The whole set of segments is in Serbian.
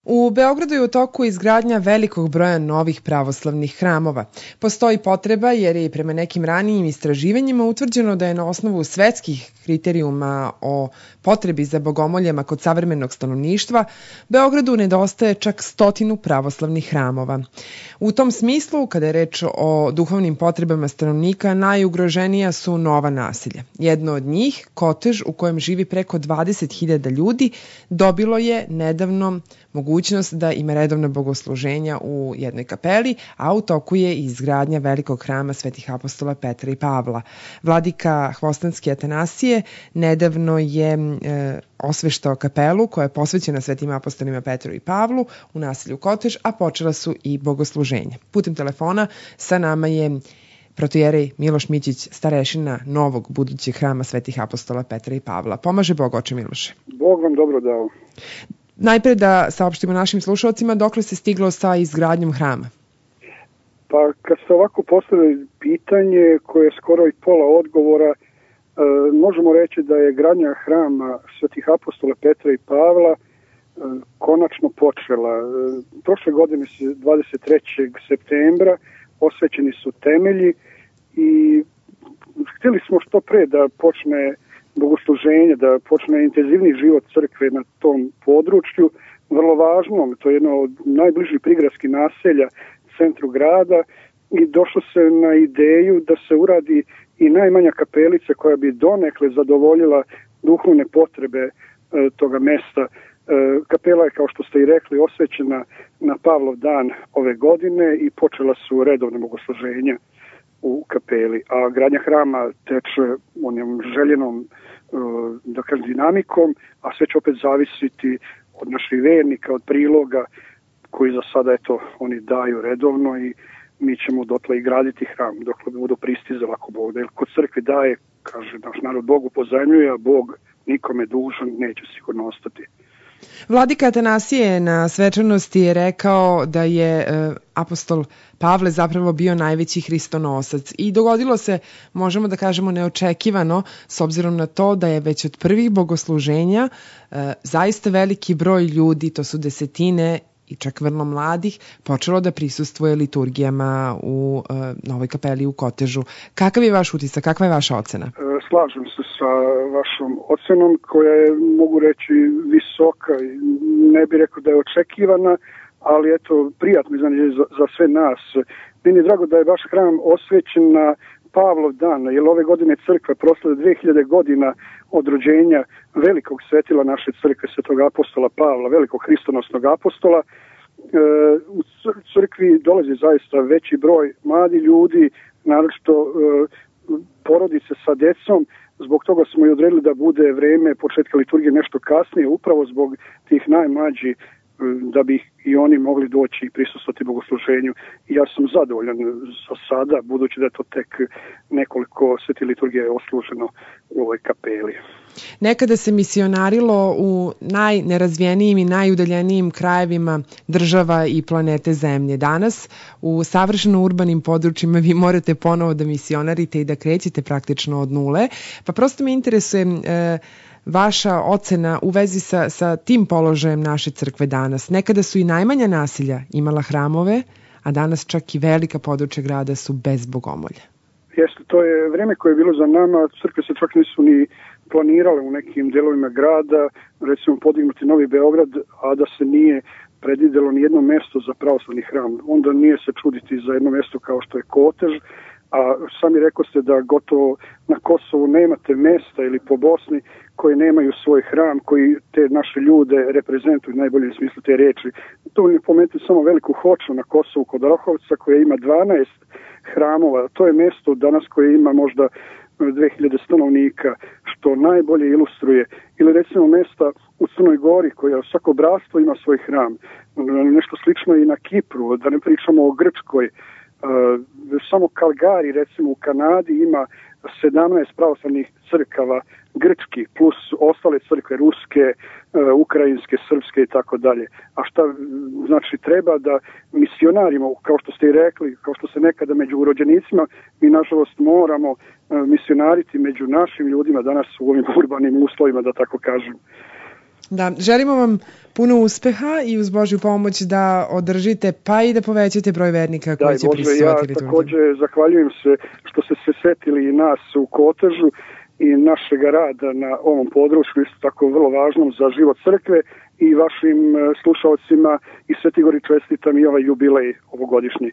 U Beogradu je u toku izgradnja velikog broja novih pravoslavnih hramova. Postoji potreba jer je prema nekim ranijim istraživanjima utvrđeno da je na osnovu svetskih kriterijuma o potrebi za bogomoljama kod savremenog stanovništva Beogradu nedostaje čak 100 pravoslavnih hramova. U tom smislu, kada je reč o duhovnim potrebama stanovnika, najugroženija su nova naselja. Jedno od njih, Kotež, u kojem živi preko 20.000 ljudi, dobilo je nedavno mogućnost da ima redovna bogosluženja u jednoj kapeli, a u toku je izgradnja velikog hrama svetih apostola Petra i Pavla. Vladika Hvostanski Atanasije nedavno je osveštao kapelu koja je posvećena svetim apostolima Petru i Pavlu u naselju Kotež, a počela su i bogosluženja. Putem telefona sa nama je protojerej Miloš Mićić, starešina novog budućeg hrama svetih apostola Petra i Pavla. Pomaže Bog, oče Miloše. Bog vam dobro dao. Najpre da saopštimo našim slušalcima dokle se stiglo sa izgradnjom hrama. Pa kad ste ovako postavili pitanje koje je skoro i pola odgovora, možemo reći da je gradnja hrama svetih apostola Petra i Pavla konačno počela. Prošle godine 23. septembra osvećeni su temelji i htjeli smo što pre da počne bogosluženje, da počne intenzivni život crkve na tom području, vrlo važnom, to je jedno od najbližih prigradskih naselja centru grada i došlo se na ideju da se uradi i najmanja kapelica koja bi donekle zadovoljila duhovne potrebe toga mesta. Kapela je, kao što ste i rekli, osvećena na Pavlov dan ove godine i počela su redovne bogosluženja u kapeli, a gradnja hrama teče onom željenom dinamikom, a sve će opet zavisiti od naših vernika, od priloga koji za sada oni daju redovno i mi ćemo dotle i graditi hram dokle budu pristizali ako Bog da. Jer kod crkve daje, kaže naš narod, Bogu pozajmljuje, a Bog nikome dužan neće sigurno ostati. Vladika Atanasije na svečanosti je rekao da je apostol Pavle zapravo bio najveći hristonosac i dogodilo se, možemo da kažemo, neočekivano s obzirom na to da je već od prvih bogosluženja zaista veliki broj ljudi, to su desetine i čak vrlo mladih, počelo da prisustvuje liturgijama u Novoj kapeli u Kotežu. Kakav je vaš utisak, kakva je vaša ocena? Slažem se sa vašom ocenom koja je, mogu reći, visoka. Ne bih rekao da je očekivana, ali prijatno iznenađenje za sve nas. Meni je drago da je vaš hram osvećen na Pavlov dan, jer ove godine crkva proslavlja 2000 godina od rođenja velikog svetila naše crkve, svetog apostola Pavla, velikog hristonosnog apostola. U crkvi dolazi zaista veći broj mladi ljudi, naročito porodice sa decom. Zbog toga smo i odredili da bude vreme početka liturgije nešto kasnije, upravo zbog tih najmlađih, da bi i oni mogli doći i prisustvovati bogosluženju. I ja sam zadovoljan za sada, budući da je to tek nekoliko sveti liturgije osluženo u ovoj kapeli. Nekada se misionarilo u najnerazvijenijim i najudaljenijim krajevima država i planete Zemlje. Danas u savršeno urbanim područjima vi morate ponovo da misionarite i da krećete praktično od nule. Pa prosto me interesuje vaša ocena u vezi sa tim položajem naše crkve danas. Nekada su i najmanja naselja imala hramove, a danas čak i velika područja grada su bez bogomolja. Jeste, to je vreme koje je bilo za nama. Crkve se čak nisu ni planirale u nekim delovima grada, recimo podignuti Novi Beograd, a da se nije predvidelo ni jedno mesto za pravoslavni hram. Onda nije se čuditi za jedno mesto kao što je Kotež, a sami rekao ste da gotovo na Kosovu nemate mesta ili po Bosni koji nemaju svoj hram, koji te naše ljude reprezentuju u najboljem smislu te riječi. To ne pomenuti samo Veliku Hoču na Kosovu kod Orahovca koja ima 12 hramova. To je mesto danas koje ima možda 2000 stanovnika, što najbolje ilustruje. Ili recimo mesta u Crnoj Gori koja svako bratstvo ima svoj hram. Nešto slično i na Kipru, da ne pričamo o Grčkoj. Samo Kalgari, recimo u Kanadi, ima 17 pravoslavnih crkava grčkih, plus ostale crkve ruske, ukrajinske, srpske i tako dalje. A šta znači treba da misionarimo, kao što ste i rekli, kao što se nekada među rođenicima, mi nažalost moramo misionariti među našim ljudima danas u ovim urbanim uslovima, da tako kažem. Da, želimo vam puno uspeha i uz Božju pomoć da održite pa i da povećate broj vernika koji će prisustvovati liturgiji. Ja takođe zahvaljujem se što ste se setili i nas u Kotežu i našeg rada na ovom području, isto tako vrlo važnom za život crkve, i vašim slušalcima i Svetigori čestitam i ovaj jubilej ovogodišnji.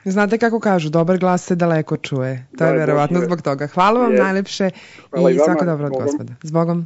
Znate kako kažu, dobar glas se daleko čuje. To je verovatno zbog toga. Hvala vam najlepše i svako dobro od Gospoda. S Bogom.